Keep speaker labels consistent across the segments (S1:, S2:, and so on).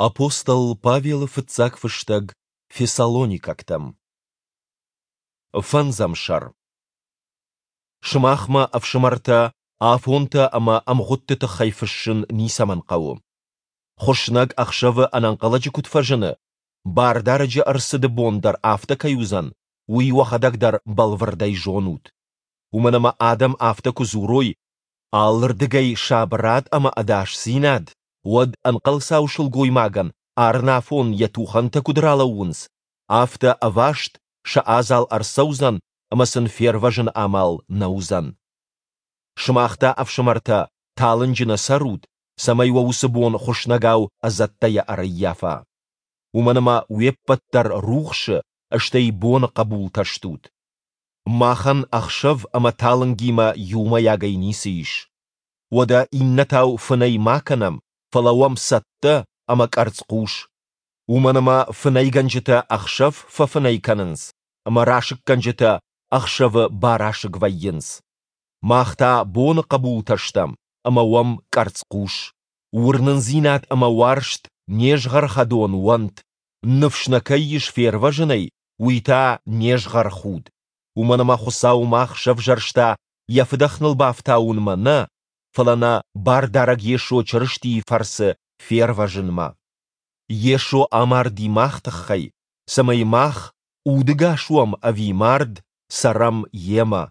S1: Апостол Павелы фыццаг фыстӕг Фессалоникӕгтӕм. Фӕндзӕм сӕр. Сымахмӕ, ӕфсымӕртӕ, афонтӕ ӕмӕ ӕмгъуыдты тыххӕй фыссын ницӕмӕн хъӕуы. Хуыснӕг ӕхсӕвы ӕнӕнхъӕлӕджы куыд фӕзыны, Бардарӕджы ӕрцыды бон дӕр афтӕ кӕй уыдзӕн, уый уӕхӕдӕг дӕр бӕлвырдӕй зонут. Уымӕн ӕмӕ адӕм афтӕ куы дзурой, алырдыгӕй сабырад ӕмӕ ӕдасдзинад, уӕд ӕнхъӕлцау сылгоймагӕн арынафон йӕ тухӕнтӕ куыд ралӕууынц, афтӕ ӕваст сӕ адзал ӕрцӕудзӕн ӕмӕ сын фервӕзыны амал нӕ уыдзӕн. Сымах та, ӕфсымӕртӕ, талынджы нӕ цӕрут, цӕмӕй уӕ уыцы бон хуыснӕгау ӕдзӕттӕйӕ ӕрӕййафа. Уымӕн ӕмӕ уе ппӕт дӕр рухсы, стӕй боны хъӕбултӕ стут. Махӕн ӕхсӕв ӕмӕ талынгимӕ иумӕйагӕй ницы ис. Уӕдӕ иннӕтау фынӕй ма кӕнӕм, фӕлӕ уӕм цӕттӕ ӕмӕ къӕрцхъус. Уымӕн ӕмӕ фынӕйгӕнджытӕ ӕхсӕв фӕфынӕй кӕнынц, ӕмӕ расыггӕнджытӕ ӕхсӕвы барасыг вӕййынц. Мах та боны хъӕбултӕ стӕм ӕмӕ уӕм къӕрцхъус. Уырнындзинад ӕмӕ уарзт не згъӕрхӕдон уӕнт, ныфс нӕ кӕй ис фервӕзынӕй, уый та не згъӕрхуд. Уымӕн ӕмӕ Хуыцау мах сӕвзӕрста йӕ фыдӕх ныл бафтауынмӕ нӕ, фӕлӕ нӕ Бардарӕг Йесо Чырыстийы фӕрцы фервӕзынмӕ. Йесо амарди мах тыххӕй, цӕмӕй мах, удыгас уӕм ӕви мард, цӕрӕм Йемӕ.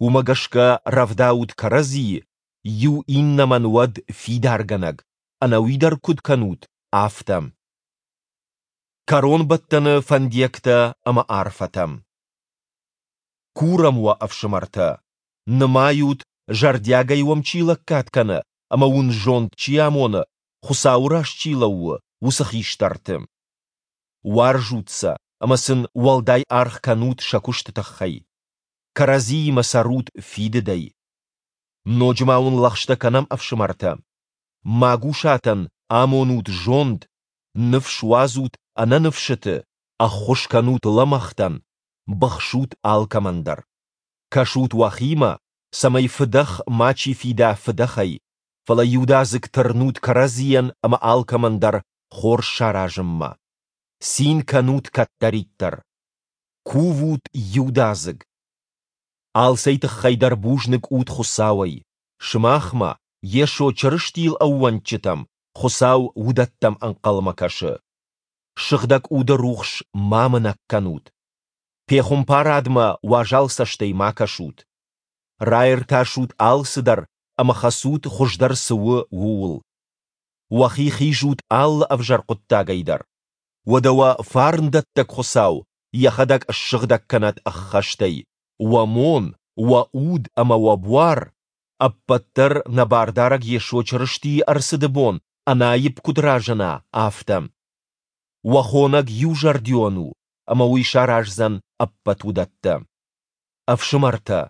S1: Уымӕ гӕсгӕ рӕвдаут кӕрӕдзийы, иу иннӕмӕн уӕд фидаргӕнӕг, ӕнӕуи дӕр куыд кӕнут, афтӕ. Кӕронбӕттӕны фӕндиӕгтӕ ӕмӕ арфӕтӕ. Курӕм уӕ, ӕфсымӕртӕ, нымайут, зӕрдиагӕй уӕм чи лӕггад кӕны ӕмӕ уын зонд чи амоны, Хуыцауы раз чи лӕууы, уыцы хистӕрты. Уарзут сӕ ӕмӕ сын уӕлдай аргъ кӕнут сӕ куысты тыххӕй. Кӕрӕдзиимӕ цӕрут фидыдӕй. Ноджы ма уын лӕгъстӕ кӕнӕм, ӕфсымӕртӕ. Магусатӕн амонут зонд, ныфс уадзут ӕнӕныфсыты, ӕххуыс кӕнут лӕмӕгътӕн, быхсут алкӕмӕн дӕр. Кӕсут уӕхимӕ, цӕмӕй фыдӕх мачи фида фыдӕхӕй, фӕлӕ иудадзыг тырнут кӕрӕдзийӕн ӕмӕ алкӕмӕн дӕр хорз саразынмӕ. Цин кӕнут кӕддӕриддӕр. Кувут иудадзыг. Алцӕй тыххӕй дӕр бузныг ут Хуыцауӕй. Сымахмӕ, Йесо Чырыстийыл ӕууӕндджытӕм, Хуыцау уыдӕттӕм ӕнхъӕлмӕ кӕсы. Сыгъдӕг Уды рухс ма мынӕг кӕнут. Пехуымпарадмӕ уазал цӕстӕй ма кӕсут. Раиртасут алцыдӕр ӕмӕ хӕцут, хуыздӕр цы у, ууыл. Уӕхи хизут алы ӕвзӕр хъуыддагӕй дӕр. Уӕдӕ уӕ фарндӕттӕг Хуыцау йӕхӕдӕг ссыгъдӕг кӕнӕд ӕххӕстӕй, уӕ мон, уӕ уд ӕмӕ уӕ буар, ӕппӕт дӕр нӕ Бардарӕг Йесо Чырыстийы ӕрцыды бон ӕнаипп куыд разына, афтӕ. Уӕ хонӕг иузӕрдион у, ӕмӕ уый сараздзӕн ӕппӕт уыдӕттӕ. Ӕфсымӕртӕ,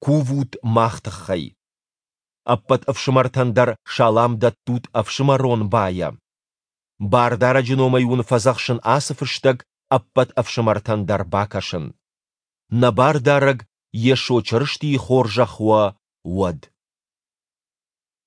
S1: кувут мах тыххӕй. Ӕппӕт ӕфсымӕртӕн дӕр салам дӕттут ӕфсымӕрон байӕ. Бардарӕджы номӕй уын фӕдзӕхсын ацы фыстӕг ӕппӕт ӕфсымӕртӕн дӕр бакӕсын. Нӕ Бардарӕг Йесо Чырыстийы хорзӕх уӕ уӕд.